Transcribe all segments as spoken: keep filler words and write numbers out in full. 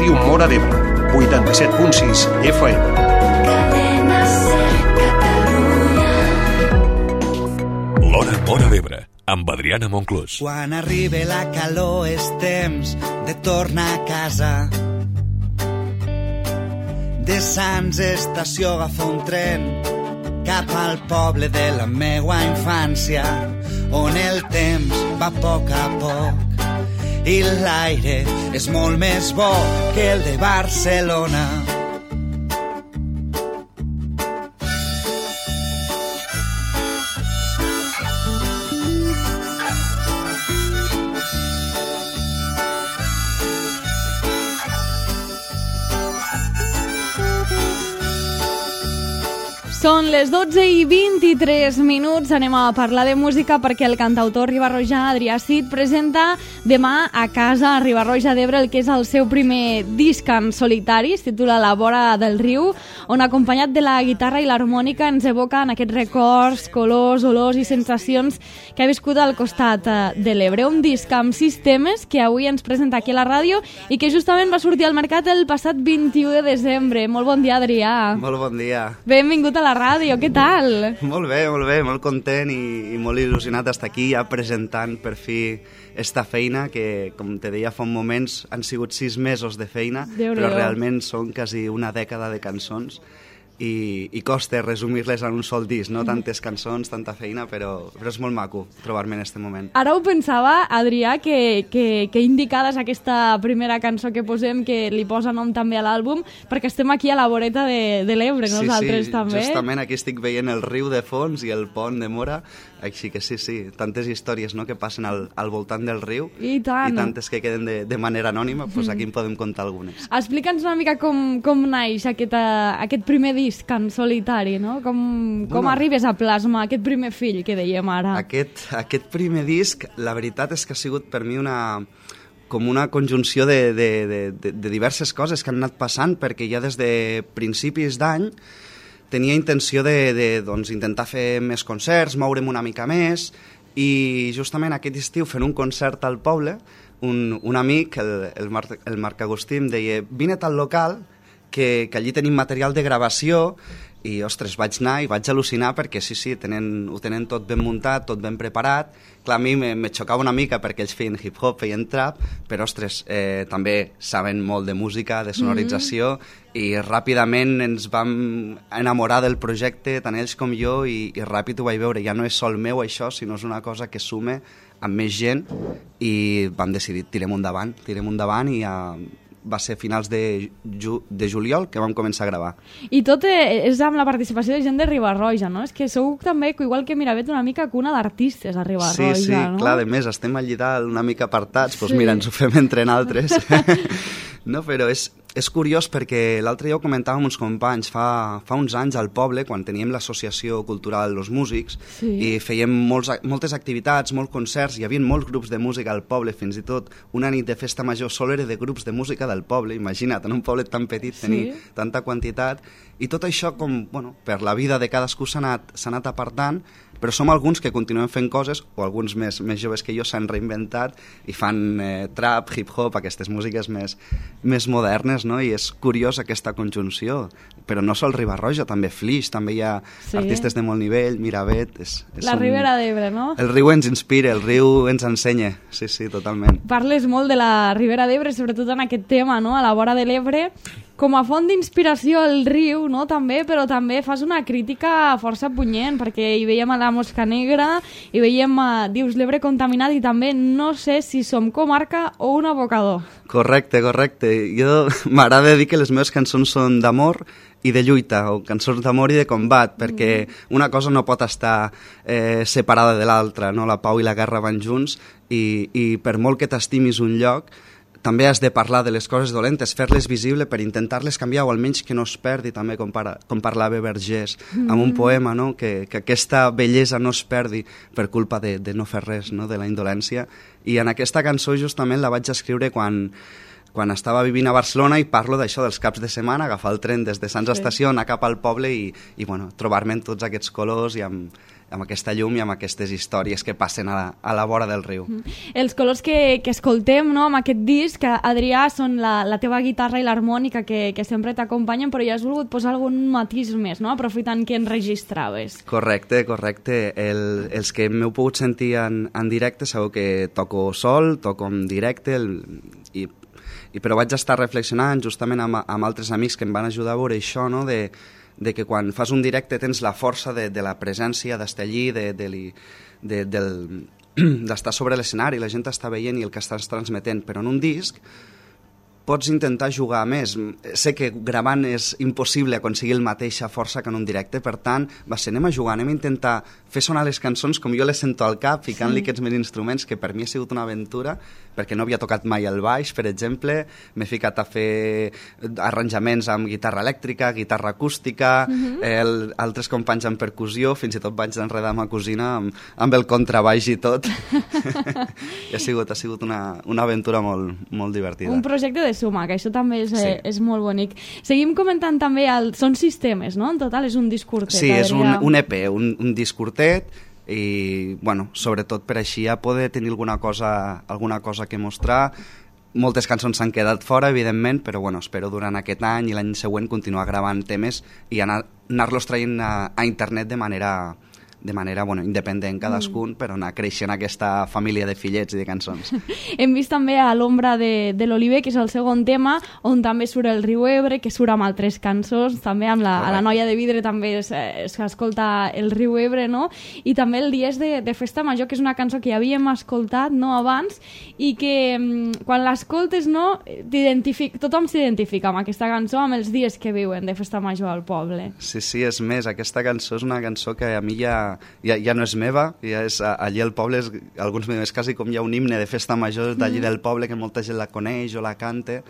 Ràdio Móra d'Ebre, vuitanta-set punt sis F M. L'Hora Móra d'Ebre, amb Adriana Monclús. Quan arribi la calor és temps de tornar a casa. De Sants Estació agafa un tren cap al poble de la meua infància, on el temps va a poc a poc i l'aire és molt més bo que el de Barcelona. Són les dotze i vint-i-tres minuts, anem a parlar de música perquè el cantautor ribarrojà Adrià Cid presenta demà a casa a Riba-roja d'Ebre el que és el seu primer disc en solitari, es titula La vora del riu, on acompanyat de la guitarra i l'harmònica ens evoquen aquests records, colors, olors i sensacions que ha viscut al costat de l'Ebre. Un disc amb sis temes que avui ens presenta aquí a la ràdio i que justament va sortir al mercat el passat vint-i-u de desembre. Molt bon dia, Adrià. Molt bon dia. Benvingut a la ràdio, què tal? Molt bé, molt bé, molt content i, i molt il·lusionat d'estar aquí ja presentant per fi esta feina que, com te deia fa un moments, han sigut sis mesos de feina, Déu però Déu. realment són quasi una dècada de cançons i, i costa resumir-les en un sol disc, no? Tantes cançons, tanta feina, però, però és molt maco trobar-me en aquest moment. Ara ho pensava, Adrià, que, que, que indicada és aquesta primera cançó que posem, que li posa nom també a l'àlbum, perquè estem aquí a la voreta de, de l'Ebre, sí, nosaltres sí, també. Justament aquí estic veient el riu de fons i el pont de Móra, així que sí, sí, tantes històries, no?, que passen al, al voltant del riu I tant. i tantes que queden de, de manera anònima, doncs aquí en podem contar algunes. Explica'ns una mica com, com naix aquest, uh, aquest primer disc en solitari, no? Com, com Bueno. arribes a plasmar aquest primer fill que dèiem ara? Aquest, aquest primer disc, la veritat és que ha sigut per mi una com una conjunció de, de, de, de, de diverses coses que han anat passant, perquè ja des de principis d'any tenia intenció de, de doncs, intentar fer més concerts, moure'm una mica més, i justament aquest estiu fent un concert al poble, un, un amic, el, el, Marc, el Marc Agustí, em deia vine al local, que, que allí tenim material de gravació, i, ostres, vaig anar i vaig al·lucinar perquè sí, sí, tenen, ho tenen tot ben muntat, tot ben preparat. Clar, a mi me, me xocava una mica perquè ells feien hip-hop, feien trap, però, ostres, eh, també saben molt de música, de sonorització, mm-hmm. i ràpidament ens vam enamorar del projecte, tant ells com jo, i, i ràpid ho vaig veure. Ja no és sol meu això, sinó és una cosa que sume amb més gent, i vam decidir, tirem endavant, tirem endavant, i ja... va ser finals de, ju de juliol que vam començar a gravar. I tot és amb la participació de gent de Riba-roja, no? És que sou també, igual que Miravet, una mica cuna d'artistes a Riba-roja, sí, sí, no? clar, a més, estem allí dalt una mica apartats, doncs Sí. mira, ens ho fem entre naltres. No, però és, és curiós perquè l'altre dia ho comentàvem amb uns companys, fa, fa uns anys al poble, quan teníem l'associació cultural Los Músics, Sí. i fèiem molts, moltes activitats, molts concerts, hi havia molts grups de música al poble, fins i tot una nit de festa major sol era de grups de música del poble, imagina't, en un poble tan petit tenir Sí. tanta quantitat, i tot això, com, bueno, per la vida de cadascú s'ha anat, s'ha anat apartant, però som alguns que continuem fent coses, o alguns més, més joves que jo s'han reinventat i fan eh, trap, hip-hop, aquestes músiques més, més modernes, no? I és curiós aquesta conjunció, però no sol Riba-roja, també Flix, també hi ha Sí. artistes de molt nivell, Miravet... És, és La un... Ribera d'Ebre, no? El riu ens inspira, el riu ens ensenya, sí, sí, totalment. Parles molt de la Ribera d'Ebre, sobretot en aquest tema, no? A la vora de l'Ebre, com a font d'inspiració el riu, no? També, però també fas una crítica força punyent, perquè hi veiem a la Mosca Negra, hi veiem, a, dius, l'Ebre contaminat, i també no sé si som comarca o un abocador. Correcte, correcte. Jo m'agrada dir que les meves cançons són d'amor i de lluita, o cançons d'amor i de combat, perquè una cosa no pot estar eh, separada de l'altra, no? La pau i la guerra van junts, i, i per molt que t'estimis un lloc, també has de parlar de les coses dolentes, fer-les visible per intentar-les canviar, o almenys que no es perdi, també com, para, com parlava Vergés mm. amb un poema, no? que, que aquesta bellesa no es perdi per culpa de, de no fer res, no? De la indolència. I en aquesta cançó justament la vaig escriure quan, quan estava vivint a Barcelona, i parlo d'això, dels caps de setmana, agafar el tren des de Sants Sí. Estació, anar cap al poble i, i bueno, trobar-me en tots aquests colors i amb, amb aquesta llum i amb aquestes històries que passen a la, a la vora del riu. Mm. Els colors que, que escoltem, no, amb aquest disc, Adrià, són la, la teva guitarra i l'harmònica que, que sempre t'acompanyen, però ja has volgut posar algun matís més, no? Aprofitant que enregistraves. Correcte, correcte. El, els que m'heu pogut sentir en, en directe sabeu que toco sol, toco en directe, el, i I, però vaig estar reflexionant justament amb, amb altres amics que em van ajudar a veure això, no? de, de que quan fas un directe tens la força de, de la presència, d'estar allí, de, de, de, del, d'estar sobre l'escenari, la gent està veient i el que estàs transmetent, però en un disc pots intentar jugar més. Sé que gravant és impossible aconseguir la mateixa força que en un directe, per tant, va ser, anem a jugar, anem a intentar fer sonar les cançons com jo les sento al cap, ficant-li sí. aquests meus instruments, que per mi ha sigut una aventura, perquè no havia tocat mai el baix, per exemple, m'he ficat a fer arranjaments amb guitarra elèctrica, guitarra acústica, uh-huh. el, altres companys amb percussió, fins i tot vaig enredar ma cosina amb, amb el contrabaix i tot. I ha sigut, ha sigut una, una aventura molt, molt divertida. Un projecte de suma, que això també és, sí. eh, és molt bonic. Seguim comentant també, el, són sistemes, no? En total és un disc curtet. Sí, és un, un E P, un, un disc curtet, i, bueno, sobretot per així ja poder tenir alguna cosa, alguna cosa que mostrar. Moltes cançons s'han quedat fora, evidentment, però bueno, espero durant aquest any i l'any següent continuar gravant temes i anar, anar-los traient a, a internet de manera... de manera bueno, independent cadascun, mm. però anar creixent aquesta família de fillets i de cançons. Hem vist també a l'ombra de, de l'Oliver, que és el segon tema, on també surt el riu Ebre, que surt amb altres cançons, també amb la, a la Noia de Vidre també s'escolta el riu Ebre, no? I també el Dies de, de Festa Major, que és una cançó que ja havíem escoltat, no, abans, i que quan l'escoltes, no, tothom s'identifica amb aquesta cançó, amb els dies que viuen de Festa Major al poble. Sí, sí, és més, aquesta cançó és una cançó que a mi ja Ja, ja no és meva, ja és allí al poble, és, alguns m'ho diuen, és quasi com hi ha un himne de festa major d'allí mm. del poble que molta gent la coneix o la canta,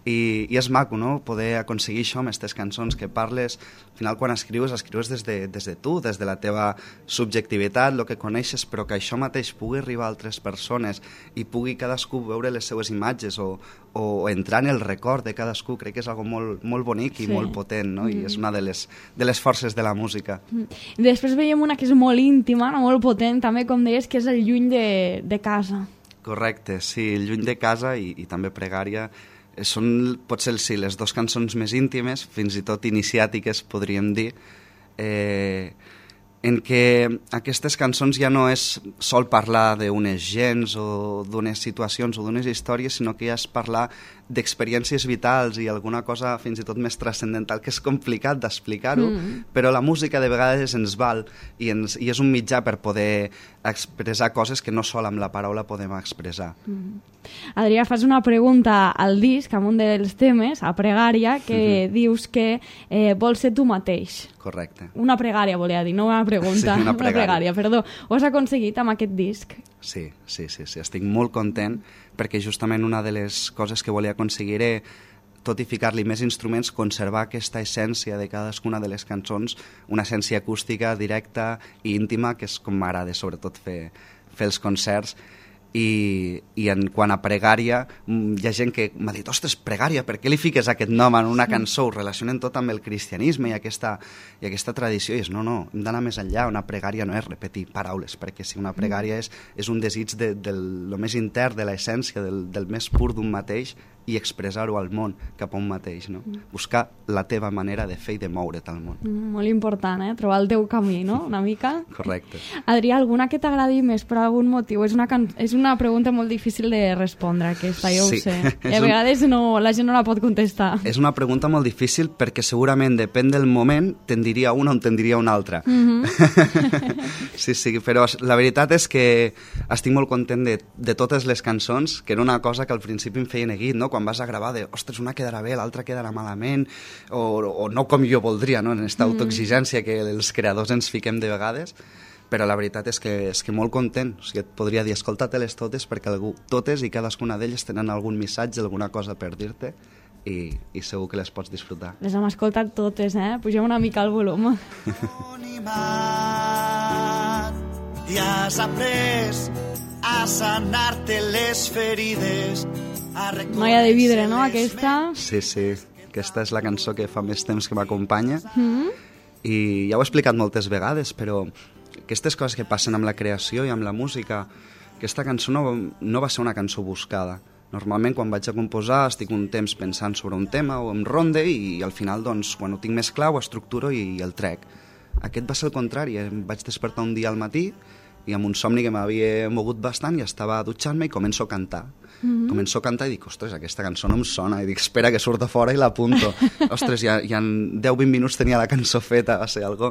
i, i és maco, no?, poder aconseguir això amb aquestes cançons que parles. Al final, quan escrius, escrius des de, des de tu, des de la teva subjectivitat, el que coneixes, però que això mateix pugui arribar a altres persones i pugui cadascú veure les seues imatges o, o entrar en el record de cadascú. Crec que és algo molt, molt bonic i sí. molt potent, no? Mm. I és una de les, de les forces de la música. Mm. Després veiem una que és molt íntima, molt potent, també, com deies, que és el Lluny de, de casa. Correcte, sí, el Lluny de casa i, i també Pregària són, potser sí, les dues cançons més íntimes, fins i tot iniciàtiques, podríem dir, eh, en què aquestes cançons ja no és sol parlar d'unes gens o d'unes situacions o d'unes històries, sinó que ja és parlar d'experiències vitals i alguna cosa fins i tot més transcendental, que és complicat d'explicar-ho, mm. però la música de vegades ens val i, ens, i és un mitjà per poder expressar coses que no sol amb la paraula podem expressar. Mm. Adrià, fas una pregunta al disc, amb un dels temes, a Pregària, que mm-hmm. dius que eh, vols ser tu mateix. Correcte. Una pregària, volia dir, no una pregunta. Sí, una pregària. Una pregària, perdó. Ho has aconseguit amb aquest disc? Sí, sí, sí, sí. Estic molt content perquè justament una de les coses que volia aconseguir era, tot i ficar-li més instruments, conservar aquesta essència de cadascuna de les cançons, una essència acústica, directa i íntima, que és com m'agrada sobretot fer, fer els concerts. I, i en quant a Pregària, hi ha gent que m'ha dit, ostres, Pregària, per què li fiques aquest nom en una cançó? Ho relacionen tot amb el cristianisme i aquesta, i aquesta tradició, i és, no, no, hem d'anar més enllà. Una pregària no és repetir paraules, perquè si una pregària és, és un desig de, de lo més intern, de l'essència, del, del més pur d'un mateix, i expressar-ho al món cap a un mateix, no? Buscar la teva manera de fer i de moure't al món. Mm, molt important, eh? Trobar el teu camí, no? Una mica. Correcte. Adrià, alguna que t'agradi més per algun motiu? És una, can... és una pregunta molt difícil de respondre, aquesta, jo sí. ho sé. I a vegades no, la gent no la pot contestar. És una pregunta molt difícil perquè segurament depèn del moment, te'n diria una o te'n diria una altra. Mm-hmm. sí, sí, però la veritat és que estic molt content de, de totes les cançons, que era una cosa que al principi em feia neguit, no? Quan vas a gravar de, ostres, una quedarà bé, l'altra quedarà malament, o, o no com jo voldria, no? En aquesta autoexigència que els creadors ens fiquem de vegades, però la veritat és que, és que molt content. O sigui, et podria dir, escolta-te-les totes, perquè algú, totes i cadascuna d'elles tenen algun missatge, alguna cosa per dir-te, i, i segur que les pots disfrutar. Les hem escoltat totes, eh? Pugem una mica el volum. I has après a sanar-te les ferides. Noia de Vidre, no, aquesta? Sí, sí, aquesta és la cançó que fa més temps que m'acompanya, mm-hmm. i ja ho he explicat moltes vegades, però aquestes coses que passen amb la creació i amb la música, aquesta cançó no, no va ser una cançó buscada. Normalment, quan vaig a composar, estic un temps pensant sobre un tema o em ronde i al final, doncs, quan ho tinc més clar, ho estructuro i el trec. Aquest va ser el contrari. Em vaig despertar un dia al matí i amb un somni que m'havia mogut bastant i estava dutxant-me i començo a cantar. Mm-hmm. Començo a cantar i dic, ostres, aquesta cançó no em sona. I dic, espera, que surt a fora i l'apunto. Ostres, ja, ja en deu vint minuts tenia la cançó feta, va ser algo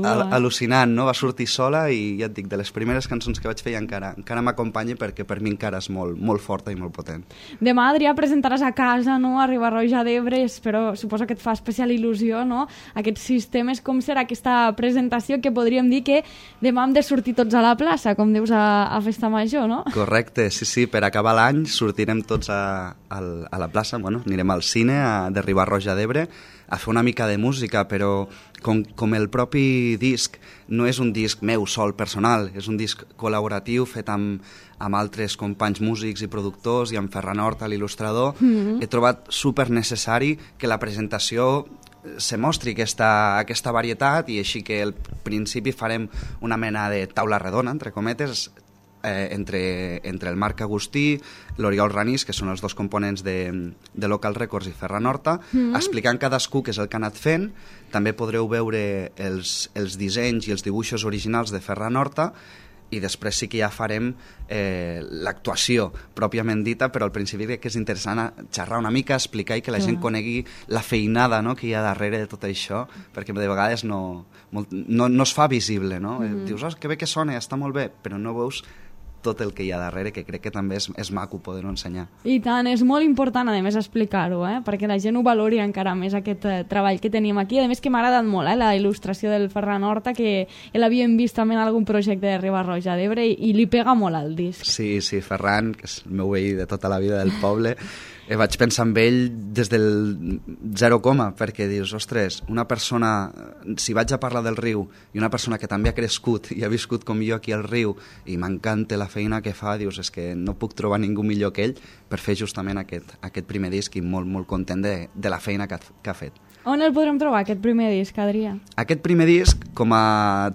al al·lucinant, no? Va sortir sola i ja et dic, de les primeres cançons que vaig fer i encara, encara m'acompanya perquè per mi encara és molt, molt forta i molt potent. Demà, Adrià, presentaràs a casa, no?, a Riba-roja d'Ebre, però suposo que et fa especial il·lusió, no?, aquests sistemes. Com serà aquesta presentació que podríem dir que demà hem de sortir tots a la plaça, com dius a, a Festa Major, no? Correcte, sí, sí, per acabar l'any sortirem tots a, a, a la plaça, bueno, anirem al cine a, de Riba-roja d'Ebre a fer una mica de música, però com, com el propi disc no és un disc meu sol personal, és un disc col·laboratiu fet amb, amb altres companys músics i productors i amb Ferran Horta, l'il·lustrador, mm-hmm. he trobat super necessari que la presentació se mostri aquesta, aquesta varietat i així que al principi farem una mena de taula redona, entre cometes, Eh, entre, entre el Marc Agustí, l'Oriol Ranís, que són els dos components de, de Local Records i Ferran Horta, mm-hmm. explicant cadascú què és el que ha anat fent. També podreu veure els, els dissenys i els dibuixos originals de Ferran Horta i després sí que ja farem eh, l'actuació pròpiament dita, però al principi crec que és interessant xerrar una mica, explicar i que la gent conegui la feinada, no?, que hi ha darrere de tot això, perquè de vegades no, molt, no, no es fa visible, no? Mm-hmm. Dius, oh, que bé que sona, està molt bé, però no veus tot el que hi ha darrere, que crec que també és, és maco poder-ho ensenyar. I tant, és molt important, a més, explicar-ho, eh? Perquè la gent ho valori encara més, aquest eh, treball que tenim aquí. A més, que m'ha agradat molt, eh? La il·lustració del Ferran Horta, que l'havíem vist també en algun projecte de Riba-roja d'Ebre i, i li pega molt al disc. Sí, sí, Ferran, que és el meu veí de tota la vida del poble, eh, vaig pensar en ell des del zero coma, perquè dius, ostres, una persona, si vaig a parlar del riu, i una persona que també ha crescut i ha viscut com jo aquí al riu, i m'encanta la feina que fa, dius, és que no puc trobar ningú millor que ell per fer justament aquest, aquest primer disc i molt, molt content de, de la feina que ha, que ha fet. On el podrem trobar, aquest primer disc, Adrià? Aquest primer disc, com a,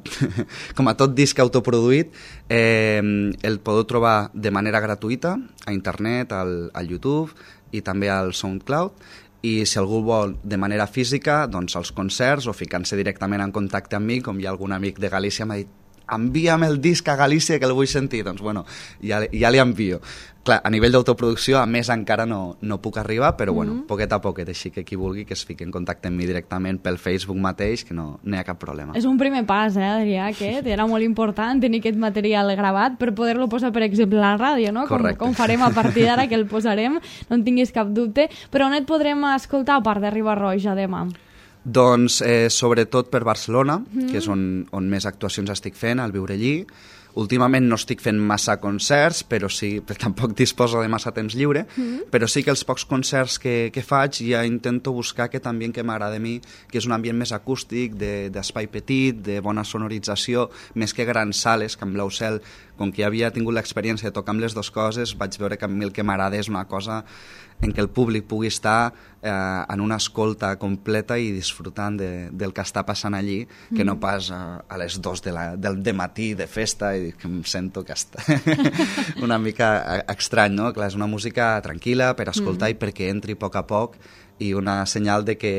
com a tot disc autoproduït, eh, el podeu trobar de manera gratuïta a internet, al, al YouTube i també al SoundCloud, i si algú vol de manera física, doncs als concerts o ficant-se directament en contacte amb mi, com hi ha algun amic de Galícia m'ha dit, envia'm el disc a Galícia que el vull sentir, doncs bueno, ja, ja li envio. Clar, a nivell d'autoproducció, a més encara no, no puc arribar, però bueno, mm-hmm. poquet a poquet, així que qui vulgui que es fiqui en contacte amb mi directament pel Facebook mateix, que no, no hi ha cap problema. És un primer pas, eh, Adrià, aquest, era molt important tenir aquest material gravat per poder-lo posar, per exemple, a la ràdio, no? Com, com farem a partir d'ara, que el posarem, no en tinguis cap dubte, però on et podrem escoltar a part de Riba-roja demà? Doncs eh, sobretot per Barcelona, mm. que és on, on més actuacions estic fent, al Viurellí. Últimament no estic fent massa concerts, però sí, tampoc disposo de massa temps lliure, mm. però sí que els pocs concerts que, que faig ja intento buscar aquest ambient que m'agrada a mi, que és un ambient més acústic, d'espai petit, de bona sonorització, més que grans sales, que amb Blau Cel, com que ja havia tingut l'experiència de tocar amb les dues coses, vaig veure que a mi el que m'agrada és una cosa en què el públic pugui estar eh, en una escolta completa i disfrutant de, del que està passant allí, mm. que no pas a, a les dos de la, del de matí de festa i que em sento que està una mica estrany, no? Clar, és una música tranquil·la per escoltar mm. i perquè entri a poc a poc i una senyal de que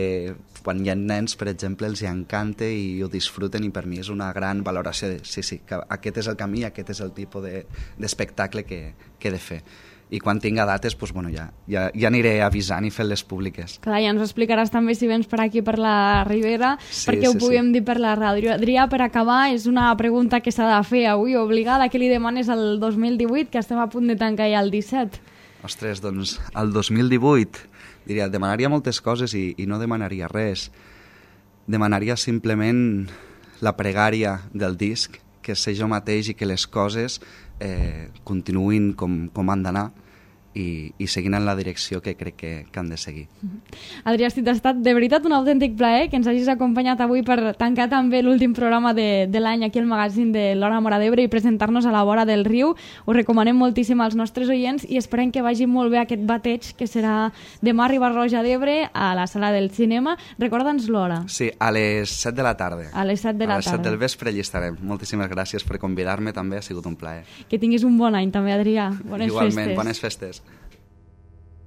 quan hi ha nens, per exemple, els hi encanta i ho disfruten i per mi és una gran valoració de sí, sí, que aquest és el camí, aquest és el tipus d'espectacle de, que, que he de fer. I quan tinga dates, doncs, bueno, ja, ja, ja aniré avisant i fent-les públiques. Clar, ja ens ho explicaràs també si vens per aquí, per la Ribera, sí, perquè sí, ho puguem sí. dir per la ràdio. Adrià, per acabar, és una pregunta que s'ha de fer avui, obligada, que li demanes al dos mil divuit, que estem a punt de tancar ja el disset. Ostres, doncs, el dos mil divuit, diria, demanaria moltes coses i, i no demanaria res. Demanaria simplement la pregària del disc, que sé jo mateix i que les coses eh, continuïn com, com han d'anar i, i seguint en la direcció que crec que, que han de seguir. Adrià Cid, ha estat de veritat un autèntic plaer que ens hagis acompanyat avui per tancar també l'últim programa de, de l'any aquí al magazín de l'Hora Móra d'Ebre i presentar-nos a la vora del riu. Ho recomanem moltíssim als nostres oients i esperem que vagi molt bé aquest bateig que serà demà a Riba-roja d'Ebre a la sala del cinema. Recorda'ns l'hora. Sí, a les set de la tarda. A les set de la tarda. A les set del vespre allí estarem. Moltíssimes gràcies per convidar-me també, ha sigut un plaer. Que tinguis un bon any també, Adrià. Bones Igualment, festes. bones festes.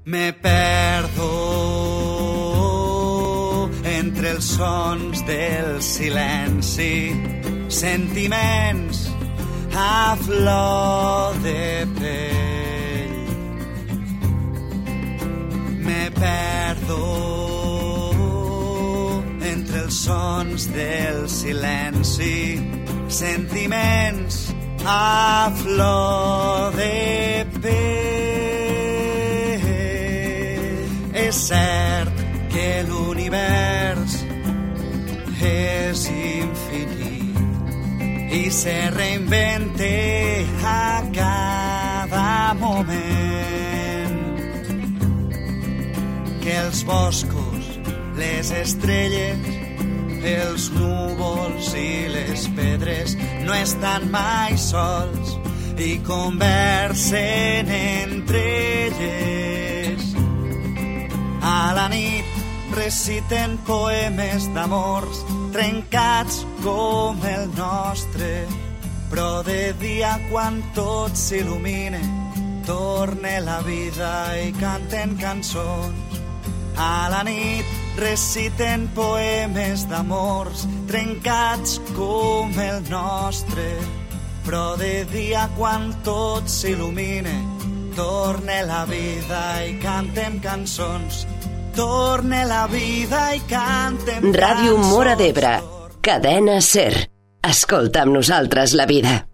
Me perdo entre els sons del silenci, sentiments a flor de pell. Me perdo entre els sons del silenci, sentiments a flor de pell. És cert que l'univers és infinit i se reinventa a cada moment. Que els boscos, les estrelles, els núvols i les pedres no estan mai sols i conversen entre elles. A la nit reciten poemes d'amors trencats com el nostre, però de dia quan tot s'il·lumina torna la vida i canten cançons. A la nit reciten poemes d'amors trencats com el nostre, però de dia quan tot s'il·lumina torna la vida i cantem cançons. Torna la vida i cantem cançons. Ràdio Móra d'Ebre, cadena SER. Escolta amb nosaltres la vida.